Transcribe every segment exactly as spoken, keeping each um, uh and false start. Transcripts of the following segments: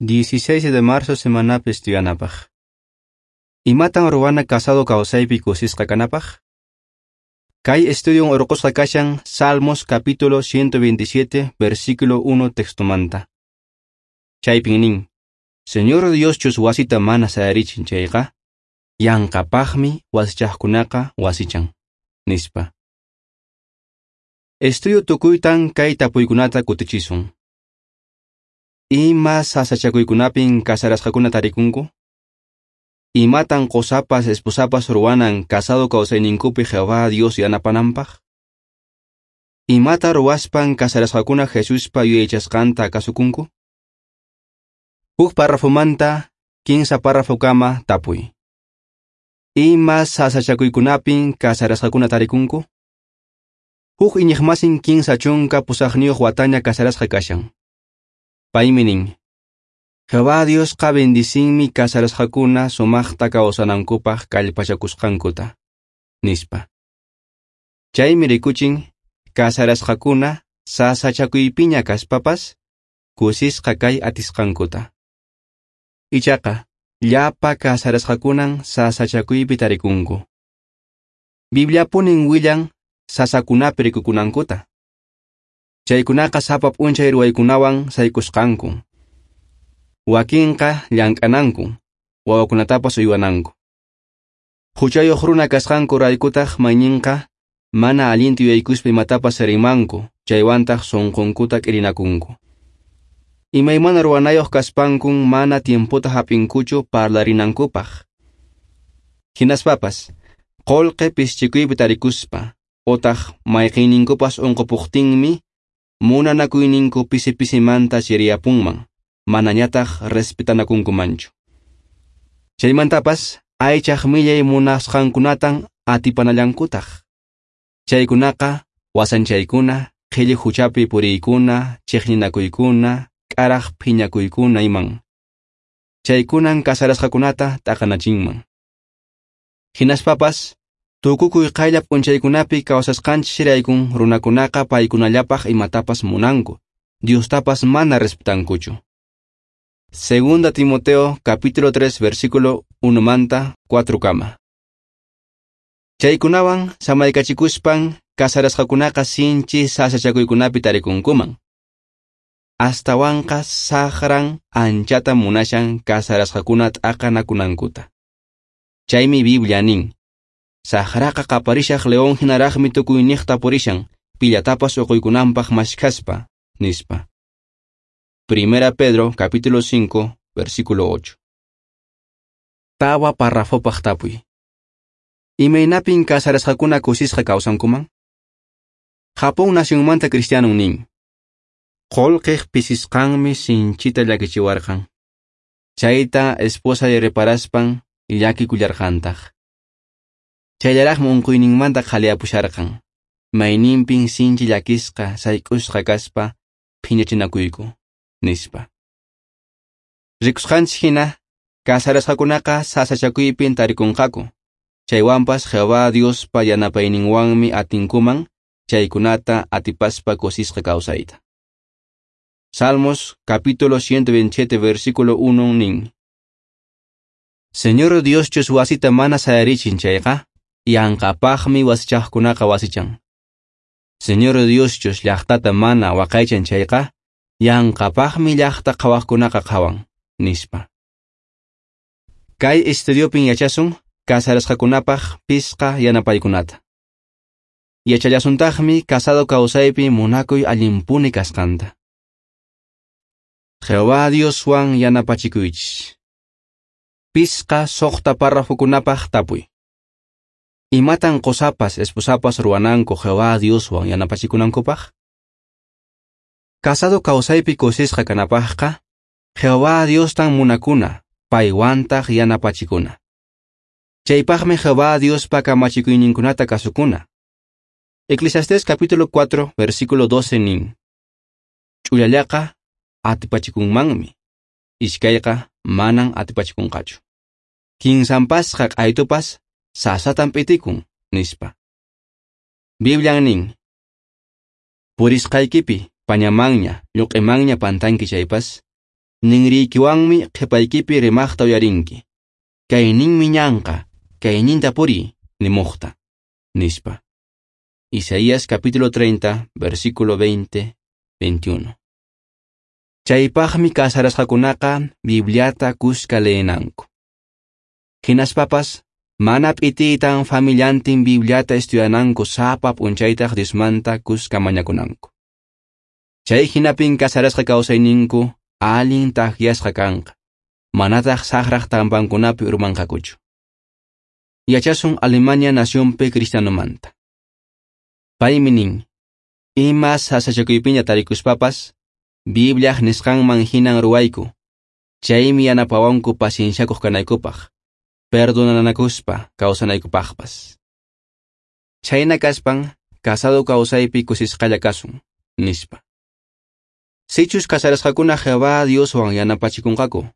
dieciséis de marzo semanapi estudianapaq. Imatan ruwana casado kawsaypi kusisqa kanapaq? Kay estudion urqusqa kashan Salmos capítulo ciento veintisiete, versículo uno textomanta. Chaypin nin, Señor Dioschus wasita mana sayarichin chayqa, yanqapaqmi wasichaqkunaqa wasichan, nispa. Estudio tukuytan kay tapuykunata kutichisun. Ima sasachakuykunapin casarasqakuna tarikunku? Imatan qosapas esposapas ruwanan casado kawsayninkupi Jehová Dios yanapananpaq? Imata ruwaspan casarasqakuna Jesuspa yuyaychasqanta kasukunku? Huk párrafomanta kinsa párrafokama tapuy. Ima sasachakuykunapin casarasqakuna tarikunku? Huk iñiqmasin kinsa chunka pusaqniyuq wataña casarasqa kashan. Paymi nin, Jehová Diosqa bendicinmi casarasqakuna sumaqta kawsanankupaq kallpachakusqankuta, nispa. Chaymi rikuchin casarasqakuna sasachakuypiña kaspapas kusisqa kay atisqankuta. Ichaqa, llapa casarasqakunan sasachakuypi tarikunku. Bibliapunin willan sasakunapi rikukunankuta. Chaykunaqa sapa p'unchay ruwaykunawan saykusqanku. Wakinqa llank'ananku, wawakunatapas uywananku. Huchayuq runa kasqanku raykutaq mayninqa mana allinta yuyaykuspa imatapas rimanku, chaywantaq sunqunkuta k'irinakunku. Imaymana ruwanayuq kaspankun mana tiempota hap'inkuchu parlarinankupaq. Hinaspapas, qullqi pisichikuypi tarikuspa, otaq mayqinninkupas unqupuqtinmi, munanakuyninku pisi pisimanta chiriyapunman, manañataq respetanakunkumanchu. Chaymantapas, aychaq millay munasqankunatan atipanallankutaq. Chaykunaqa, wasanchaykuna, qhilli huchapi puriykuna, chiqninakuykuna, k'araq phiñakuykuna iman. Chaykunan casarasqakunata t'aqanachinman. Hinaspapas, tukukuy qaylla p'unchaykunapi kawsasqanchis runakunaqa paykunallapaq imatapas munanku, Diostapas mana respetankuchu. Segunda Timoteo capítulo tres versículo uno manta cuatro kama. Chaykunawan samaykachikuspan casarasqakunaqa sinchi sasachakuykunapi tarikunkuman. Astawanqa saqran anchata munashan casarasqakuna t'aqanakunankuta. Chaymi Biblia nin, saqraqa qaparishaq león hinaraqmi tukuyniqta purishan, pillatapas uquykunanpaq mashkhaspa, nispa. Primera Pedro capítulo cinco versículo ocho. Tawa párrafopaq tapuy. Imaynapin casarasqakuna kusisqa kawsankuman? Japón nacionmanta cristiano nin, qullqiq pisisqanmi sinchita llakichiwarqan. Chayta esposay reparaspan llakikullarqantaq. Chayllaraqmi unquyninmanta qhaliyapusharqan. Mayninpin sinchi llakisqa sayk'usqa kaspa phiñachinakuyku, nispa. Rikusqanchis hina, casarasqakunaqa sasachakuypin tarikunqaku. Chaywanpas Jehová Diospa yanapayninwanmi atinkuman chaykunata atipaspa kusisqa kawsayta. Salmos capítulo ciento veintisiete versículo uno nin, Señor Dioschus wasita mana sayarichin chayqa, yanqapaqmi wasichaqkunaqa wasichan. Señor Dioschus llaqtata mana waqaychan chayqa, yanqapaqmi llaqta qhawaqkunaqa qhawan, nispa. Kay estudiopin yachasun casarasqakunapaq pisqa yanapaykunata. Yachallasuntaqmi casado kawsaypi munakuy allinpuni kasqanta. Jehová Dioswan yanapachikuychis. Pisqa suqta párrafokunapaq tapuy. Imatan qosapas esposapas ruwananku Jehová Dioswan yanapachikunankupaq? Casado kawsaypi kusisqa kanapaqqa, Jehová Diostan munakuna, paywantaq yanapachikuna. Chaypaqmi Jehová Diospa kamachikuyninkunata kasukuna. Eclesiastés capítulo cuatro versículo doce nin, Ch'ullallaqa atipachikunmanmi, iskayqa manan atipachikunqachu. Kinsanpasqa q'aytupas sasatan p'itikun, nispa. Biblian nin, purisqaykipi pañamanña, lluq'imanña pantanki chaypas, Ninriykiwanmi qhipaykipi rimaqta uyarinki. Kayninmi ñanqa, kayninta puriy, nimuqta, nispa. Isaías capítulo treinta, versículo veinte, veintiuno. Chaypaqmi casarasqakunaqa Bibliata kuska leenanku. Hinaspapas, mana p'itiytan familiantin Bibliata estudiananku sapa p'unchaytaq Diosmanta kuska mañakunanku. Chay hinapin casarasqa kawsayninku allin takyasqa kanqa, manataq saqraq trampankunapi urmanqakuchu. Yachasun Alemania nacionpi cristianomanta. Paymi nin, ima sasachakuypiña tarikuspapas, Bibliaq nisqanman hinan ruwayku, chaymi yanapawanku pacienciakuq kanaykupaq, perdonanakuspa kawsanaykupaqpas. Chhayna kaspan, casado kawsaypi kusisqalla kasun, nispa. Sichus casarasqakuna Jehová Dioswan yanapachikunqaku,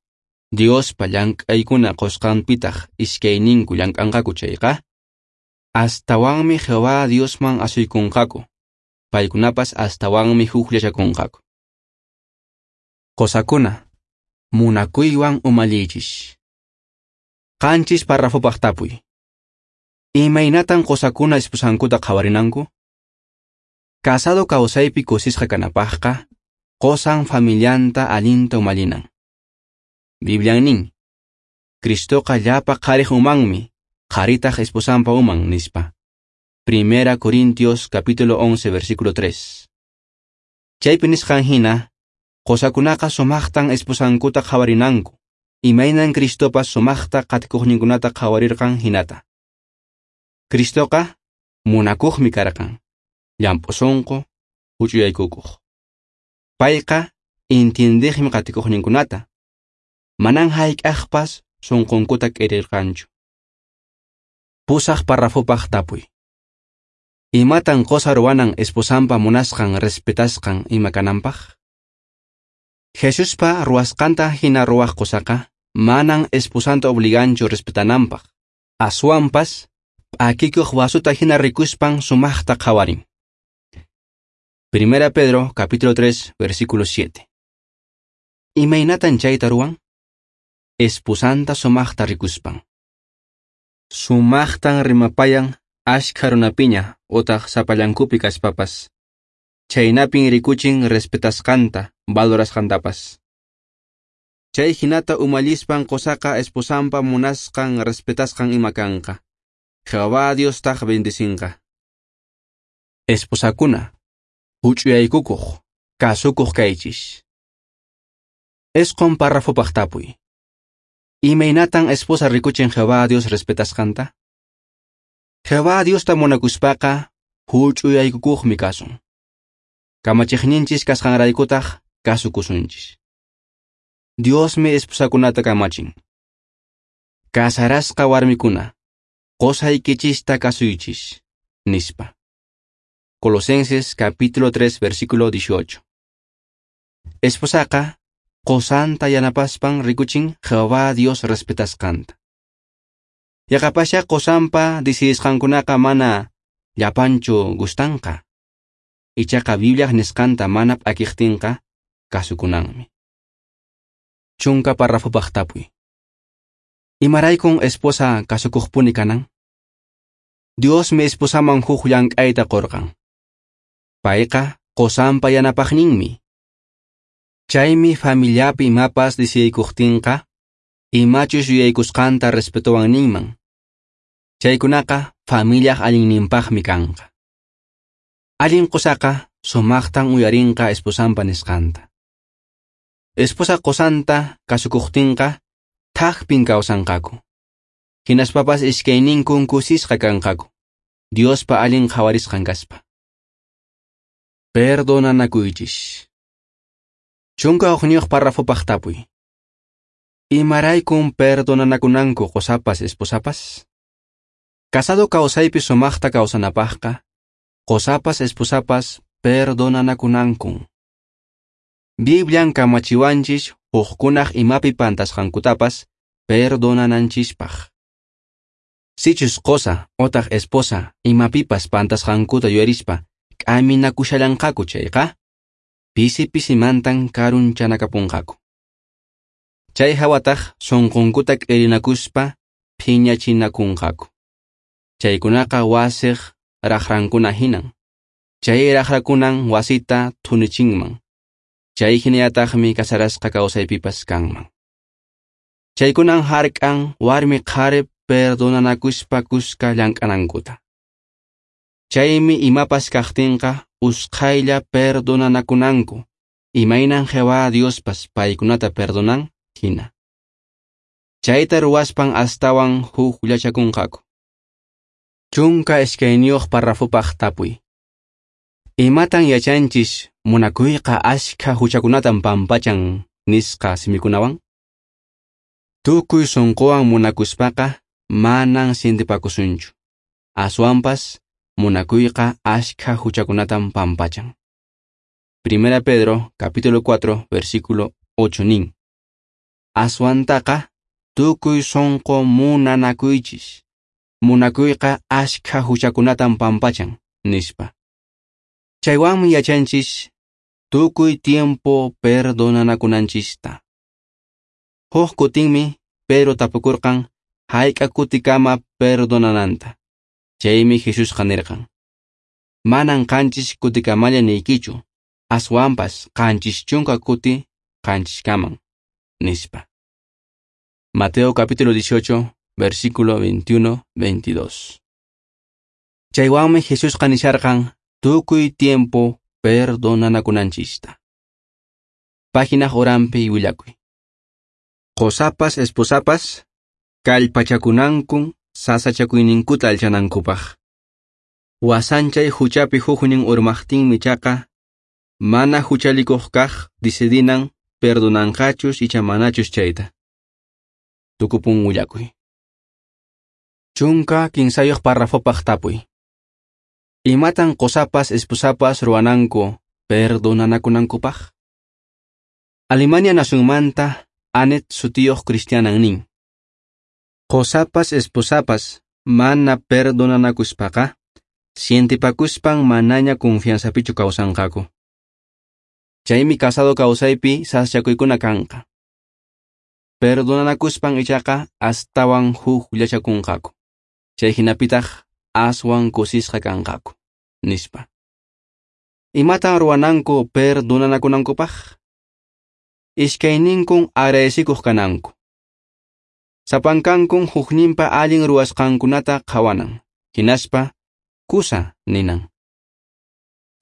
Diospa llank'aykuna qusqanpitaq iskayninku llank'anqaku chayqa, astawanmi Jehová Diosman asuykunqaku, paykunapas astawanmi hukllachakunqaku. Qosakuna, munakuywan umalliychis. Qanchis parrafopaq tapuy. Imaynatan qosakuna esposankuta qhawarinanku? Casado kawsaypi kusisqa kanapaqqa, qosan familianta allinta umallinan. Biblian nin, Cristoqa llapa qhariq umanmi, qharitaq esposanpa uman, nispa. Primera Corintios capítulo once versículo tres. Chaypi nisqan hina, qosakunaqa sumaqtan esposankuta qhawarinanku, imaynan Cristopas sumaqta qatikuqninkunata qhawarirqan hinata. Cristoqa munakuqmi karqan, llamp'u sunqu, huch'uyaykukuq. Payqa entiendeqmi qatikuqninkunata, manan hayk'aqpas sunqunkuta k'irirqanchu. Pusaq parrafopaq tapuy. Imatan qosa ruwanan esposanpa munasqan respetasqan ima kananpaq? Jesuspa ruwasqanta hina ruwaq qosaqa manan esposanta obliganchu respetananpaq, aswanpas p'akikuq vasuta hina rikuspan sumaqta qhawarin. Primera Pedro capítulo tres versículo siete. Imaynatan chayta ruwan? Esposanta sumaqta rikuspan. Sumaqtan rimapayan ashkha runapiña otaq sapallankupi kaspapas. Chaynapin rikuchin respetasqanta, valorasqantapas. Chay hinata umallispan qosaqa esposanpa munasqan respetasqan ima kanqa. Jehová Diostaq bendicinqa. Esposakuna, huch'uyaykukuq, kasukuq kaychis. Isqun parrafopaq tapuy. Imaynatan esposa rikuchin Jehová Dios respetasqanta? Jehová Diosta munakuspaqa huch'uyaykukuqmi kasun. Kamachiqninchis kasqanraykutaq kasukusunchis. Diosmi esposakunata kamachin. Casarasqa warmikuna, qosaykichista kasuychis, nispa. Colosenses capítulo tres versículo dieciocho. Esposaqa qosanta yanapaspan rikuchin Jehová Dios respetasqanta. Yaqapasha qosanpa decidisqankunaqa mana llapanchu gustanqa. Ichaqa Bibliaq nisqanta mana p'akiqtinqa kasukunanmi. Chunka parrafopaq tapuy. Imaraykun esposa kasukuqpuni kanan? Diosmi esposaman huk llank'ayta qurqan. Payqa qosanpa yanapaqninmi. Chaymi familiapi imapas decidikuqtinqa, imachus yuyaykusqanta respetowan ninman. Chaykunaqa familiaq allinninpaqmi kanqa. Allin qosaqa sumaqtan uyarinqa esposanpa nisqanta. Esposa qosanta kasukuqtinqa thakpin kawsanqaku. Hinaspapas iskayninkun kusisqa kanqaku, Diospa allin qhawarisqan kaspa. Perdonanakuychis. Chunka hukniyuq parrafopaq tapuy. Imaraykun perdonanakunanku qosapas esposapas? Casado kawsaypi sumaqta kawsanapaqqa, qosapas esposapas perdonanakunankun. Biblian kamachiwanchis hukkunaq imapi pantasqankutapas perdonananchispaq. Sichus qosa otaq esposa imapipas pantasqankuta yuyarispa k'aminakushallanqaku chayqa, pisi pisimantan karunchanakapunqaku. Chay hawataq sunqunkuta k'irinakuspa phiñachinakunqaku. Chaykunaqa wasiq raqrankuna hinan. Chay raqrakunan wasita thunichinman. Chay hinallataqmi kasarasqa kawsaypipas kanman. Chaykunan hark'an warmi qhari perdonanakuspa kuska llank'anankuta. Chaymi imapas kaqtinqa usqhaylla perdonanakunanku, imaynan Jehová Diospas paykunata perdonan hina. Chayta ruwaspan astawan hukllachakunqaku. Chunka iskayniyuq parrafopaq tapuy. Imatan yachanchis munakuyqa ashkha huchakunatan pampachan nisqa simikunawan? Tukuy sunquwan munakuspaqa manan sintipakusunchu. Aswanpas munakuyqa ashkha huchakunatan pampachan. Primera Pedro capítulo cuatro versículo ocho nin. Aswantaqa tukuy sunqu munanakuychis. Munakuyqa ashkha huchakunatan pampachan, nispa. Chaywanmi yachanchis tukuy tiempo perdonanakunanchista. Huk kutinmi Pedro tapukurqan hayk'a kutikama perdonananta. Chaymi Jesusqa nirqan: Manan qanchis kutikamalla niykichu, aswanpas qanchis chunka kuti qanchiskaman, nispa. Mateo capítulo dieciocho, versículo veintiuno veintidós. Chaywanmi Jesusqa nisharqan tukuy tiempo perdonanakunanchista. Página uranpi willakuy. Qosapas esposapas kallpachakunankun sasachakuyninkuta alchanankupaq. Wasanchay huchapi huknin urmaqtinmi chaqa mana huchalikuq kaq decidinan perdonanqachus icha manachus chayta. Tukupun willakuy. Chunka kinsayuq parrafopaq tapuy. Imatan qosapas esposapas ruwananku perdonanakunankupaq? Alemania nacionmanta Anet sutiyuq cristianan nin: Qosapas esposapas mana perdonanakuspaqa sientipakuspan manaña confianzapichu kawsanqaku. Chaymi casado kawsaypi sasachakuykuna kanqa. Perdonanakuspan ichaqa astawan hukllachakunqaku. Chay hinapitaq aswan kusisqa kanqaku, nispa. Imatan ruwananku perdonanakunankupaq? Iskayninkun agradecikuq kananku. Sapankankun hukninpa allin ruwasqankunata qhawanan, hinaspa kusa ninan.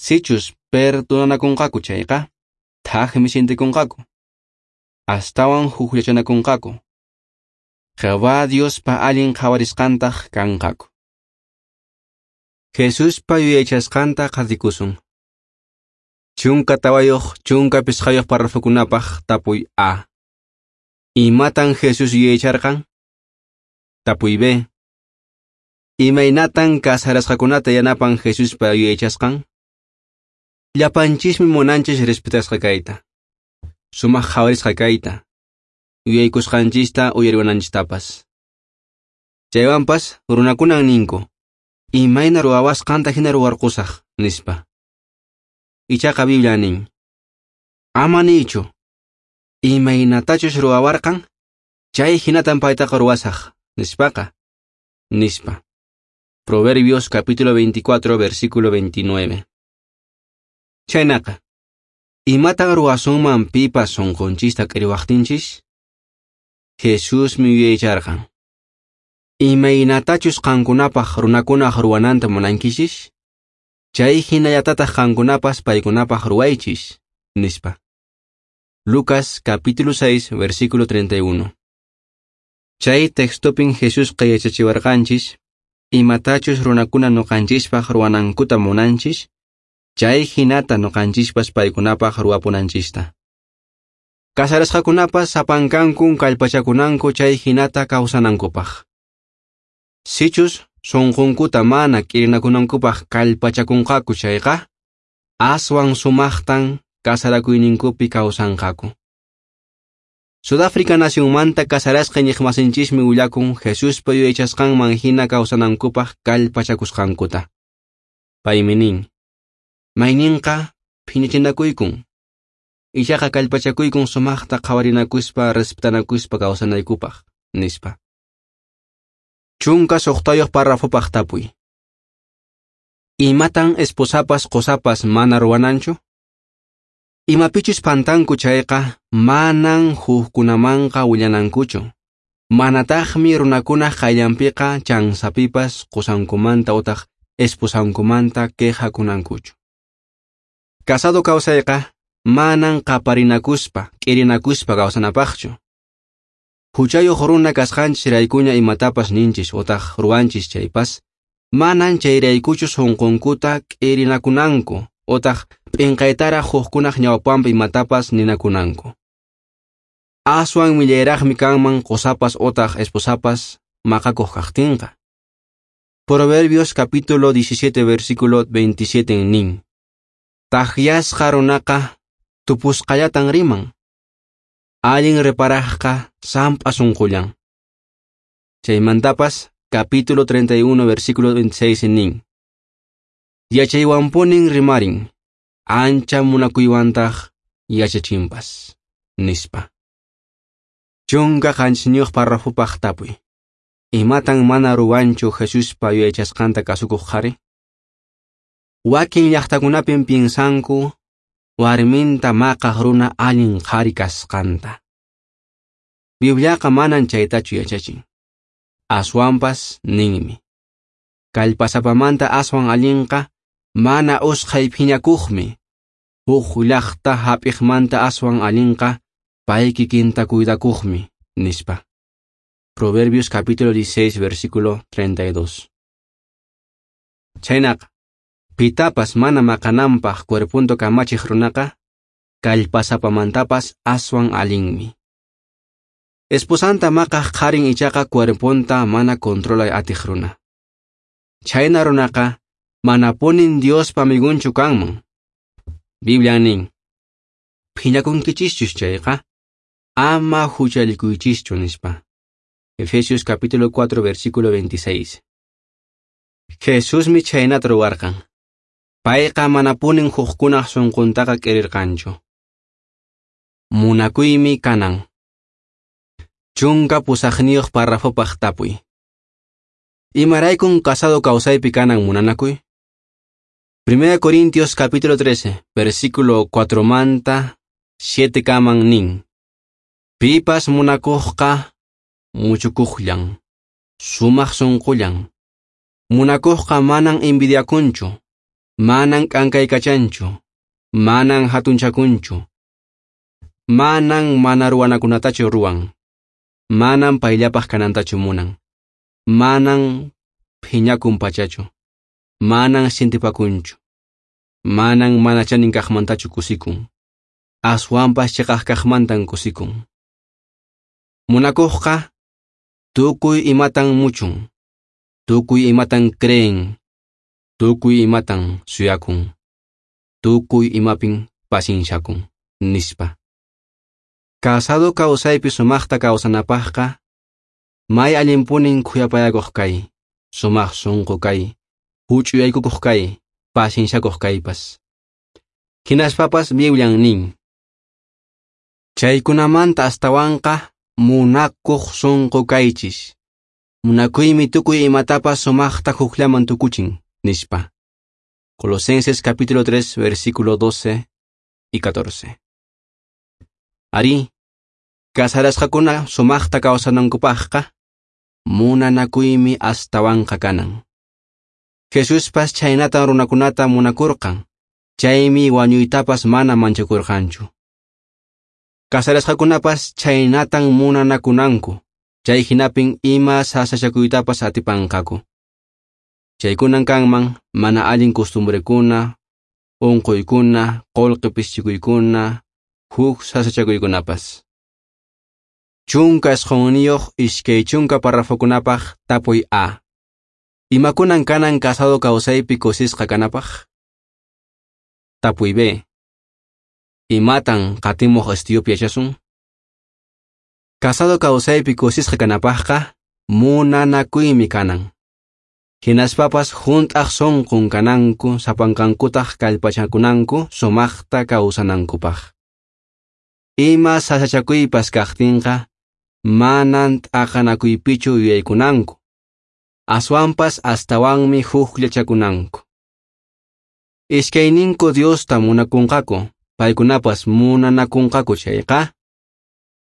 Sichus perdonanakunqaku chayqa, thakmi sientikunqaku. Astawan hukllachanakunqaku. Jehová Diospa allin qhawarisqantaq kanqaku. Jesuspa yuyaychasqanta qhatikusun. Chunka tawayuq, chunka pisqayuq parrafokunapaq tapuy A. Imatan Jesús yuyaycharqan? Tapuy B. Imaynatan kasarasqakunata yanapan Jesuspa yuyaychasqan? Llapanchismi munanchis respetasqa kayta, sumaq qhawarisqa kayta, yuyaykusqanchista uyariwananchistapas. Chaywanpas runakunan ninku, imayna ruwawasqanta hina ruwarqusaq, nispa. Ichaqa Biblia nin: Ama niychu, imaynatachus ruwawarqan, chay hinatan paytaqa ruwasaq, nispaqa, nispa. Proverbios capítulo veinticuatro, versículo veintinueve. Chaynaqa, imatan ruwasunman pipas sunqunchista k'iriwaqtinchis? Jesusmi yuyaycharqan: Imaynatachus qankunapaq runakunaq ruwananta munankichis, chay hinallatataq qankunapas paykunapaq ruwaychis, nispa. Lucas capítulo seis, versículo treinta y uno. Chay textopin Jesusqa yachachiwarqanchis, imatachus runakuna nuqanchispaq ruwanankuta munanchis, chay hinata nuqanchispas paykunapaq ruwapunanchista. Kasarasqakunapas sapankankun kallpachakunanku chay hinata kawsanankupaq. Sichus sunqunkuta mana k'irinakunankupaq kallpachakunqaku chayqa, aswan sumaqtan kasarakuyninkupi kawsanqaku. Sudáfrica nacionmanta kasarasqa iñiqmasinchismi willakun Jesuspa yuyaychasqanman hina kawsanankupaq kallpachakusqankuta. Paymi nin: Mayninqa phiñachinakuykun. Ichaqa kallpachakuykun sumaqta qhawarinakuspa respetanakuspa kawsanaykupaq, nispa. Chunka suqtayuq parrafopaq tapuy. Imatan esposapas qosapas mana ruwananchu? Imapichus pantanku chayqa manan hukkunamanqa willanankuchu. Manataqmi runakunaq qayllanpiqa chansapipas qosankumanta utaq esposankumanta quejakunankuchu. Casado kawsayqa manan qaparinakuspa, k'irinakuspa kawsanapaqchu. Huchayuq runa kasqanchis raykuña imatapas ninchis utaq ruwanchis chaypas, manan chayraykuchu sunqunkuta k'irinakunanku utaq p'inqaytaraq hukkunaq ñawpanpi imatapas ninakunanku. Aswan millayraqmi kanman qosapas utaq esposapas maqakuq kaqtinqa. Proverbios capítulo diecisiete versículo veintisiete nin. Taqyasqa runaqa tupusqallatan riman. Allin reparaqqa samp'a sunqullan. Chaymantapas capítulo treinta y uno versículo veintiséis nin. Yachaywanpunin rimarin, ancha munakuywantaq yachachinpas, nispa. Chunka qanchisniyuq parrafopaq tapuy. Imatan mana ruwanchu Jesuspa yuyaychasqanta kasukuq qhari? Wakin llaqtakunapin piensanku warminta maqaq runa allin qhari kasqanta. Bibliaqa manan chaytachu yachachin. Aswanpas ninmi. Kallpasapamanta aswan allinqa mana usqhay phiñakuqmi. Huk llaqta hap'iqmanta aswan allinqa pay kikinta cuidakuqmi, nispa. Proverbios capítulo dieciséis versículo treinta y dos. Chaynaqa, pitapas mana maqananpaq cuerpunta kamachiq runaqa, kallpasapamantapas aswan allinmi. Esposanta maqaq qharin ichaqa cuerpunta mana controlay atiq runa. Chayna runaqa manapunin Diospa amigunchu kanman. Biblia nin, phiñakunkichischus chayqa, ama huchallikuychischu, nispa. Efesios capítulo cuatro versículo veintiséis. Jesusmi chaynata ruwarqan. Payqa manapunin hukkunaq sunquntaqa k'irirqanchu. Munakuymi kanan. Chunka pusaqniyuq parrafopaq tapuy. Imaraykun casado kawsaypi kanan munanakuy? Primera Corintios capítulo trece, versículo cuatro manta siete kaman nin. Pipas munakuqqa muchukuqllan, sumaq sunqullan. Munakuqqa manan envidiakunchu, manan k'ankaykachanchu, manan hatunchakunchu, manan mana ruwanakunatachu ruwan, manan payllapaq kanantachu munan, manan phiñakun pachachu, manan sintipakunchu, manan mana chanin kaqmantachu kusikun, aswanpas chiqaq kaqmantan kusikun. Munakuqqa tukuy imatan muchun, tukuy imatan creen, tukuy imatan suyakun, tukuy imapin pasinchakun, nispa. Casado kawsaypi sumaqta kawsanapaqqa, may allinpunin khuyapayakuq kay, sumaq sunqu kay, huch'uyaykukuq kay, pasinchakuq kaypas. Hinaspapas Biblian nin. Chaykunamanta astawanqa munakuq sunqu kaychis. Munakuymi tukuy imatapas sumaqta hukllaman tukuchin, nispa. Colosenses capítulo tres, versículo doce y catorce. Ari, casarasqakuna sumaqta kawsanankupaqqa, munanakuymi astawanqa kanan. Jesuspas chaynatan runakunata munakurqan, chaymi wañuytapas mana manchakurqanchu. Casarasqakunapas chaynatan munanakunanku, chay hinapin ima sasachakuytapas atipanqaku. Chaykunan kanman mana allin costumbrekuna, unquykuna, qullqi pischikuykuna, huk sasachakuykunapas. Chunka isqunniyuq iskay chunka parrafokunapaq tapuy A. Imakunan kanan casado kawsaypi kusisqa kanapaq? Tapuy B. Imatan qatimuq estudiopi yachasun? Casado kawsaypi kusisqa kanapaqqa munanakuymi kanan. Hinaspapas hunt'aq sunqun kananku sapankankutaq kallpachakunanku sumaqta kawsanankupaq. Ima sasachakuypas kaqtinqa, manan t'aqanakuypichu yuyaykunanku. Aswanpas astawanmi hukllachakunanku. Iskayninku Diosta munakunqaku, paykunapas munanakunqaku chayqa,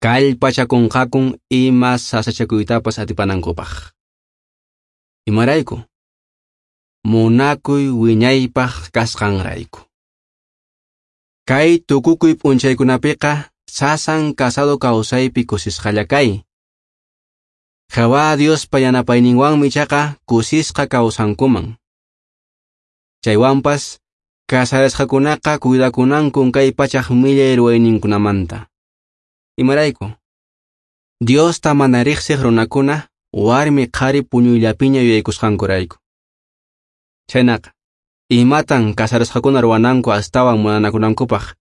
kallpachakunqakun ima sasachakuytapas atipanankupaq. Imarayku? Munakuy wiñaypaq kasqanrayku. Kay tukukuy p'unchaykunapiqa sasan casado kawsaypi kusisqalla kay. Jehová Diospa yanapayninwanmi ichaqa kusisqa kawsankuman. Chaywanpas casarasqakunaqa cuidakunankun kay pachaq millay ruwayninkunamanta. Imarayku? Diosta mana riqsiq runakuna warmi qhari puñuyllapiña yuyaykusqankurayku. Chhaynaqa, imatan casarasqakuna ruwananku astawan munanakunankupaq,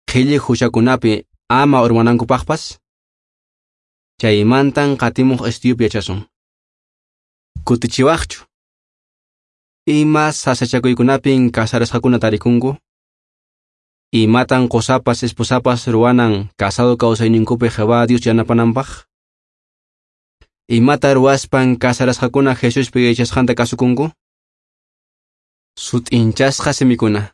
qhilli huchakunapi ama urmanankupaqpas? Chaymantan qatimuq estudiopi yachasun. Kutichiwaqchu? Ima sasachakuykunapin casarasqakuna tarikunku? Imatan qosapas esposapas ruwanan casado kawsayninkupi Jehová Dios yanapananpaq? Imata ruwaspan casarasqakuna Jesuspa yachasqanta kasukunku? Sut'inchasqa simikuna.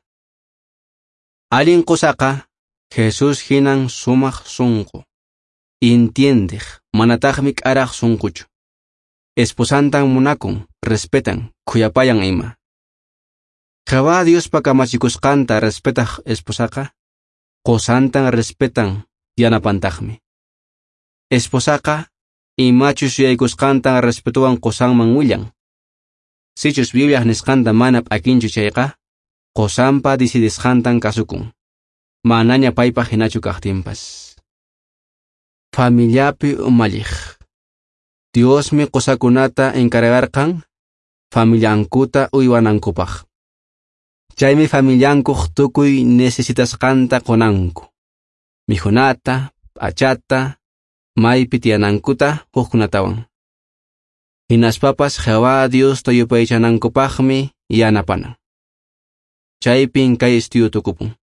Allin qosaqa Jesús hinan sumaq sunqu, intiendeq, manataqmi k'araq sunquchu. Esposantan munakun, respetan, khuyapayan ima. Jehová Diospa kamachikusqanta respetaq esposaqa, qosantan respetan, yanapantaqmi. Esposaqa imachus yuyaykusqantan respetuwan qosanman willan. Sichus Bibliaq nisqanta mana p'akinchu chayqa, qosanpa decidisqantan kasukun. Manaña paypaq hinachu kaqtinpas. Familiapi umalliq. Diosmi qosakunata encargarqan familiankuta uywanankupaq. Chaymi familiankuq tukuy necesitasqanta qunanku. Mikhunata, p'achata, maypi tiyanankuta, hukkunatawan. Hinaspapas Jehová Diosta yupaychanankupaqmi yanapanan. Chaypin kay estudio tukupun.